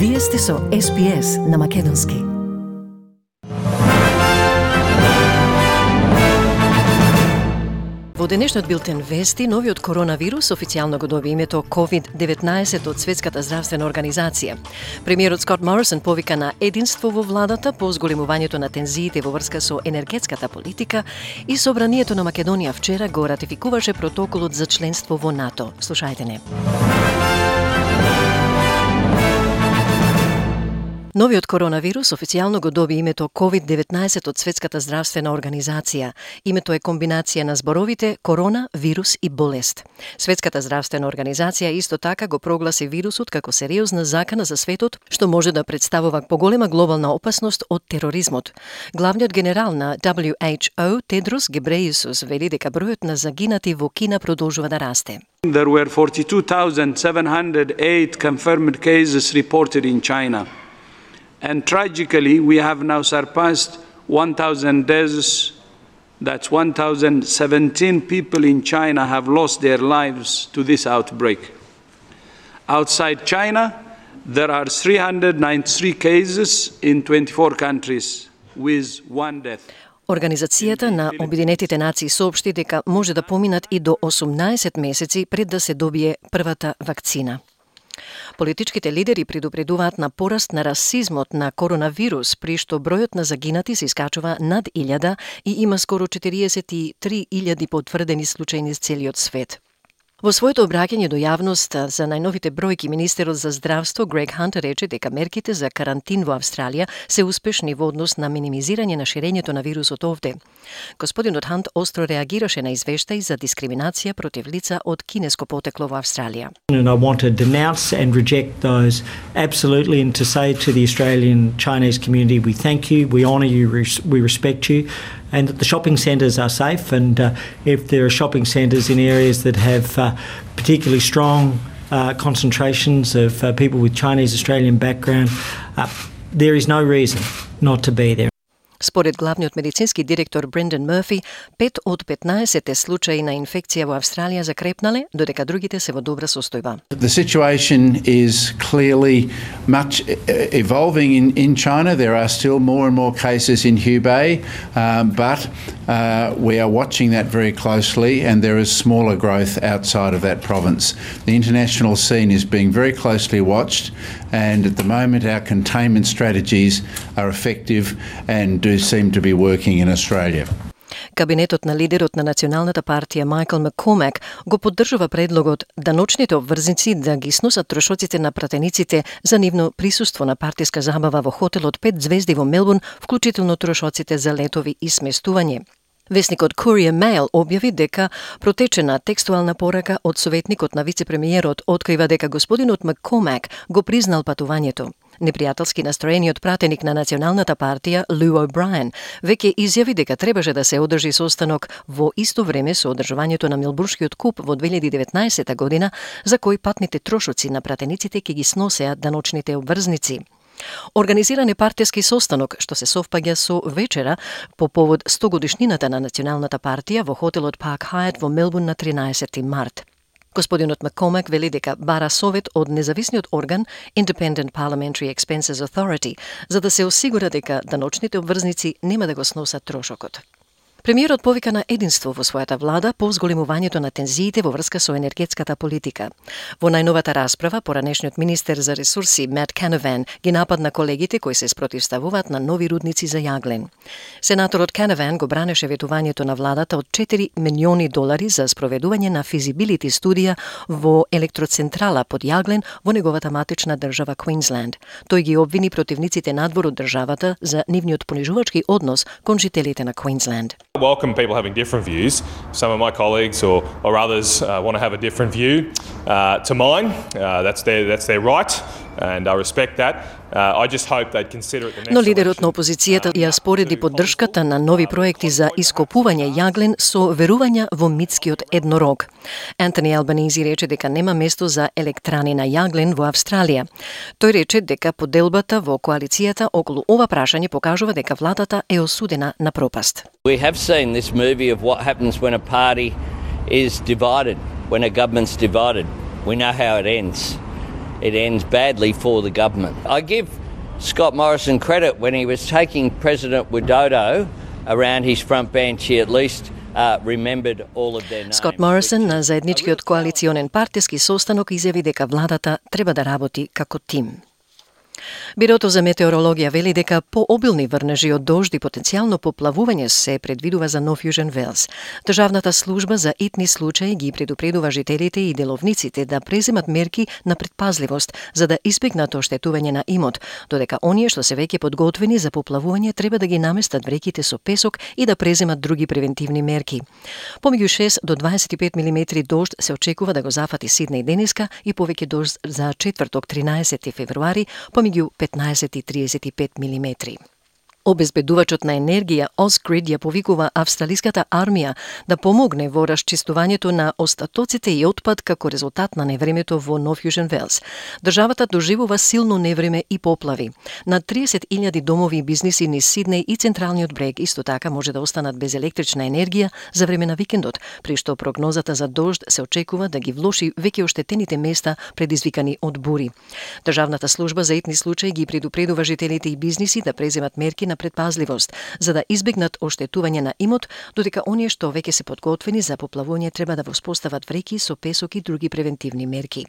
Вие сте со SPS на Македонски. Во денешниот билтен вести, новиот коронавирус официјално го доби името COVID-19 од Светската здравствена организација. Премиерот Скот Морисон повика на единство во владата по зголемувањето на тензиите во врска со енергетската политика и Собранието на Македонија вчера го ратификуваше протоколот за членство во НАТО. Слушајте не. Новиот коронавирус официјално го доби името COVID-19 од Светската здравствена организација. Името е комбинација на зборовите корона, вирус и болест. Светската здравствена организација исто така го прогласи вирусот како сериозна закана за светот, што може да представува поголема глобална опасност од тероризмот. Главниот генерал на WHO, Тедрос Гебрејесус, вели дека бројот на загинати во Кина продолжува да расте. There were 42,708 confirmed cases reported in China. And tragically, we have now surpassed 1,000 deaths. That's 1,017 people in China have lost their lives to this outbreak. Outside China, there are 393 cases in 24 countries with one death. Организацијата на Обединетите нации соопшти дека може да поминат и до 18 месеци пред да се добие првата вакцина. Политичките лидери предупредуваат на пораст на расизмот на коронавирус, при што бројот на загинати се искачува над 1000 и има скоро 43,000 потврдени случаи низ целиот свет. Во своето обраќање до јавност за најновите бројки, министерот за здравство Грег Хант рече дека мерките за карантин во Австралија се успешни во однос на минимизирање на ширењето на вирусот овде. Господинот Хант остро реагираше на извештаи за дискриминација против лица од кинеско потекло во Австралија. And I want to denounce and reject those absolutely, and to say to the Australian Chinese community, we thank you, we honour you, we respect you, and that the shopping centres are safe, and if there are shopping centres in areas that have particularly strong concentrations of people with Chinese Australian background, there is no reason not to be there. Според главниот медицински директор Брендан Мърфи, 5 од 15 случаи на инфекција во Австралија закрепнале, додека другите се во добра состојба. The situation is clearly much evolving in China. There are still more and more cases in Hubei, but we are watching that very closely, and there is smaller growth outside of that province. The international scene is being very closely watched, and at the moment our containment strategies are effective and do seem to be working in Australia. Кабинетот на лидерот на Националната партија Майкл Маккормак го поддржува предлогот да ночните обврзници да ги сносат трошоците на пратениците за нивно присуство на партиска забава во хотелот 5 звезди во Мелбурн, вклучително трошоците за летови и сместување. Весникот Courier Mail објави дека протечена текстуална порака од советникот на вице-премиерот открива дека господинот Маккормак го признал патувањето. Непријателски настроениот пратеник на Националната партија, Лу О'Брајен, веќе изјави дека требаше да се одржи состанок во исто време со одржувањето на Мелбурнскиот куп во 2019 година, за кој патните трошоци на пратениците ќе ги сносеат даночните обврзници. Организиран е партијски состанок, што се совпаѓа со вечера по повод 100 годишнината на Националната партија во хотелот Парк Хајат во Мелбурн на 13 март. Господинот Маккормак вели дека бара совет од независниот орган Independent Parliamentary Expenses Authority, за да се осигура дека даночните обврзници нема да го сносат трошокот. Премиерот повика на единство во својата влада по зголемувањето на тензиите во врска со енергетската политика. Во најновата расправа, поранешниот министер за ресурси Мат Канаван ги нападна колегите кои се спротивставуваат на нови рудници за јаглен. Сенаторот Канаван го бранеше ветувањето на владата од $4 милиони за спроведување на физибилити студија во електроцентрала под јаглен во неговата матична држава Квинсленд. Тој ги обвини противниците надвор од државата за нивниот понижувачки однос кон жителите на Квинсленд. I welcome people having different views. Some of my colleagues or others want to have a different view to mine. That's their right, and I respect that. I just hope they'd consider it the next. Но лидерот на опозицијата ја спореди поддршката на нови проекти за ископување јаглен со верувања во митскиот еднорог. Антони Албанизи рече дека нема место за електрани на јаглен во Австралија. Тој рече дека поделбата во коалицијата околу ова прашање покажува дека владата е осудена на пропаст. We have seen this movie of what happens when a party is divided, when a government's divided. We know how it ends. it ends badly for the government. I give Scott Morrison credit when he was taking President Widodo around his front bench, he at least remembered all of their names. Scott Morrison на заедничкиот коалиционен партиски состанок изјави дека владата треба да работи како тим. Бирото за метеорологија вели дека пообилни врнежи од дожд и потенцијално поплавување се предвидува за Нов Јужен Велс. Државната служба за итни случаи ги предупредува жителите и деловниците да преземат мерки на предпазливост за да избегнат оштетување на имот, додека оние што се веќе подготвени за поплавување треба да ги наместат вреките со песок и да преземат други превентивни мерки. Помеѓу 6 до 25 милиметри дожд се очекува да го зафати Сиднеј денеска и повеќе дожд за четврток 13 февруари, помеѓу 15 и 35 милиметри. Обезбедувачот на енергија Ausgrid ја повикува австралиската армија да помогне во расчистувањето на остатоците и отпад како резултат на невремето во Нов Јужен Велс. Државата доживува силно невреме и поплави. На 30.000 домови и бизниси низ Сиднеј и централниот брег исто така може да останат без електрична енергија за време на викендот, при што прогнозата за дожд се очекува да ги влоши веќе оштетените места предизвикани од бури. Државната служба за итни случаи ги предупредува жителите и бизниси да преземат мерки на предпазливост за да избегнат оштетување на имот, додека оние што веќе се подготвени за поплавување треба да воспостават вреки со песок и други превентивни мерки.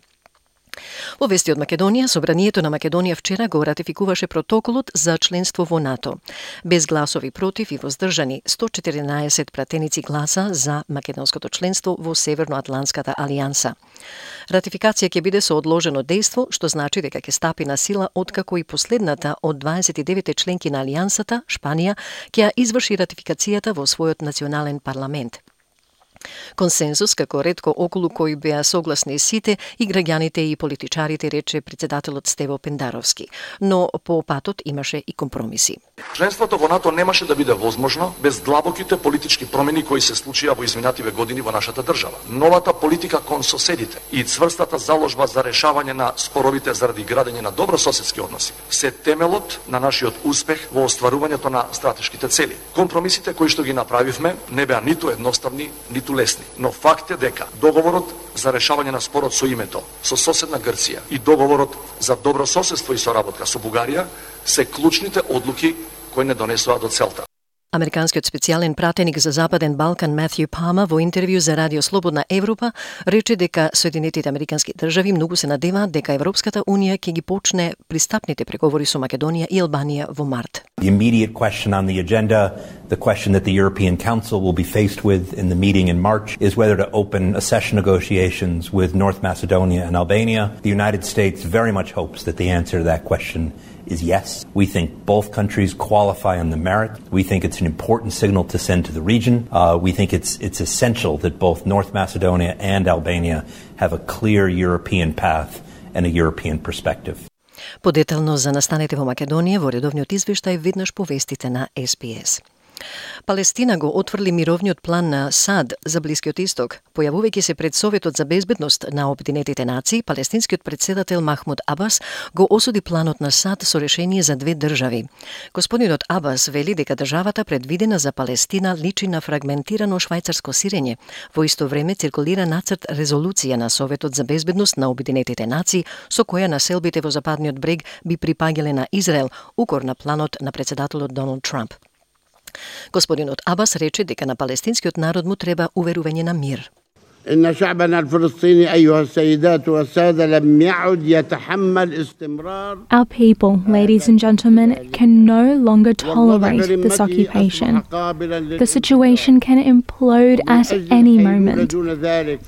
Во вести од Македонија, Собранието на Македонија вчера го ратификуваше протоколот за членство во НАТО. Без гласови против и воздржани, 114 пратеници гласа за македонското членство во Северноатлантската алијанса. Ратификација ќе биде со одложено дејство, што значи дека ќе стапи на сила откако и последната од 29 членки на алијансата, Шпанија, ќе ја изврши ратификацијата во својот национален парламент. Консензус како ретко околу кој беа согласни сите и граѓаните и политичарите, рече председателот Стево Пендаровски, но по патот имаше и компромиси. Членството во НАТО немаше да биде возможно без длабоките политички промени кои се случија во изминативе години во нашата држава. Новата политика кон соседите и цврстата заложба за решавање на споровите заради градење на добрососедски односи се темелот на нашиот успех во остварувањето на стратешките цели. Компромисите кои што ги направивме не беа ниту едноставни, ниту лесни, но факт е дека договорот за решавање на спорот со името со соседна Грција и договорот за добрососедство и соработка со Бугарија се клучните одлуки кои не донесува до целта. Американскиот специјален пратеник за Западен Балкан Матју Пама во интервју за Радио Слободна Европа рече дека Соединетите Американски држави многу се надеваат дека Европската Унија ќе ги почне пристапните преговори со Македонија и Албанија во март. The immediate question on the agenda, the question that the European Council will be faced with in the meeting in March, is whether to open accession negotiations with North Macedonia and Albania. The United States very much hopes that the answer to that question is yes. We think both countries qualify on the merit. We think it's an important signal to send to the region. We think it's essential that both North Macedonia and Albania have a clear European path and a European perspective. Подетално за настаните во Македонија во редовниот извештај веднаш повестите на СПС. Палестина го отврли мировниот план на САД за Блискиот Исток. Појавувајќи се пред Советот за безбедност на Обединетите нации, палестинскиот председател Махмуд Абас го осуди планот на САД со решение за две држави. Господинот Абас вели дека државата предвидена за Палестина личи на фрагментирано швајцарско сирење. Во исто време циркулира нацрт резолуција на Советот за безбедност на Обединетите нации со која населбите во Западниот брег би припаѓале на Израел, укор на планот на председателот Доналд Трамп. Господинот Абас рече дека на палестинскиот народ му треба уверување на мир. إن شعبنا الفلسطيني أيها السيدات والسادة لم يعد يتحمل استمرار. Our people, ladies and gentlemen, can no longer tolerate this occupation. The situation can implode at any moment.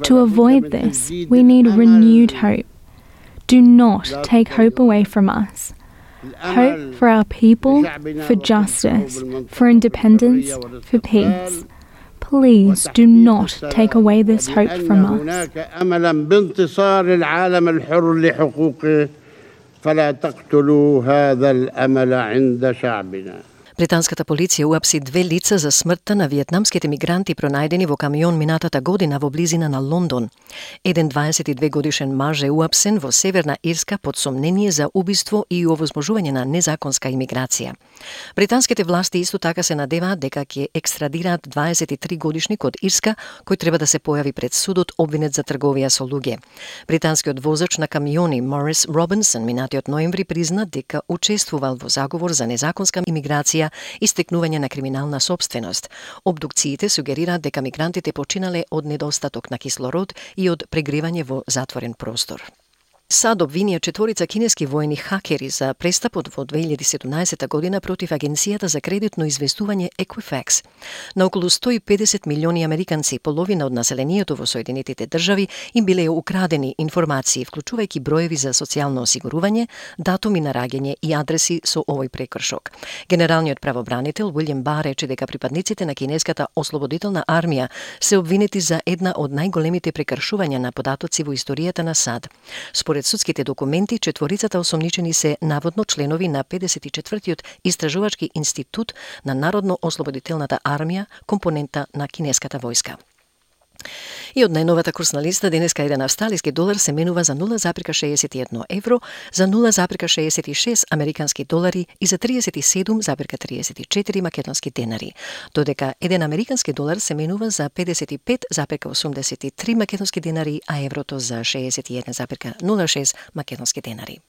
To avoid this, we need renewed hope. Do not take hope away from us. Hope for our people, for justice, for independence, for peace. Please do not take away this hope from us. أملا بانتصار العالم الحر لحقوقه فلا تقتلوا هذا الأمل عند شعبنا. Британската полиција уапси 2 лица за смртта на виетнамските мигранти пронајдени во камион минатата година во близина на Лондон. Еден 22 годишен маж е уапсен во Северна Ирска под сомнение за убиство и овозможување на незаконска имиграција. Британските власти исто така се надеваат дека ќе екстрадираат 23 годишник од Ирска кој треба да се појави пред судот обвинет за трговија со луѓе. Британскиот возач на камиони Морис Робинсон минатиот ноември призна дека учествувал во заговор за незаконска имиграција и стекнување на криминална сопственост. Обдукциите сугерираат дека мигрантите починале од недостаток на кислород и од прегревање во затворен простор. САД обвинија 4 кинески војни хакери за престапот во 2017 година против Агенцијата за кредитно известување Equifax. На околу 150 милиони американци, половина од населението во Соединетите држави, им биле украдени информации, вклучувајќи броеви за социјално осигурување, датуми на раѓање и адреси со овој прекршок. Генералниот правобранител Уилјам Бар рече дека припадниците на кинеската ослободителна армија се обвинети за една од најголемите прекршувања на податоци во историјата на САД. Според судските документи, 4 осомничени се наводно членови на 54-тиот истражувачки институт на Народно-ослободителната армија, компонента на кинеската војска. И од најновата курсна листа, денеска еден австралиски долар се менува за 0,61 евро, за 0,66 американски долари и за 37,34 македонски денари. Додека еден американски долар се менува за 55,83 македонски денари, а еврото за 61,06 македонски денари.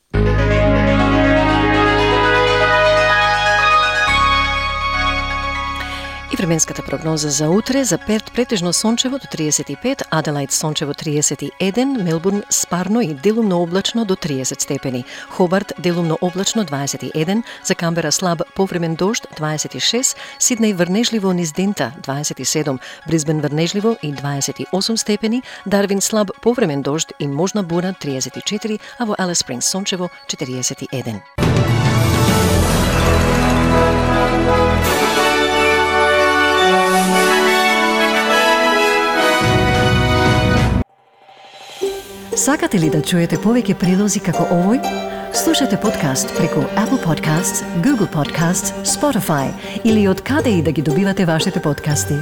И временската прогноза за утре: за Перт претежно сончево до 35, Аделаид сончево 31, Мелбурн спарно и делумно облачно до 30 степени, Хобарт делумно облачно 21, за Камбера слаб повремен дожд 26, Сиднеј врнежливо низ дента 27, Брисбен врнежливо и 28 степени, Дарвин слаб повремен дожд и можна бура 34, а во Алис Спрингс сончево 41. Сакате ли да чуете повеќе прилози како овој? Слушате подкаст преку Apple Podcasts, Google Podcasts, Spotify или од каде и да ги добивате вашите подкасти.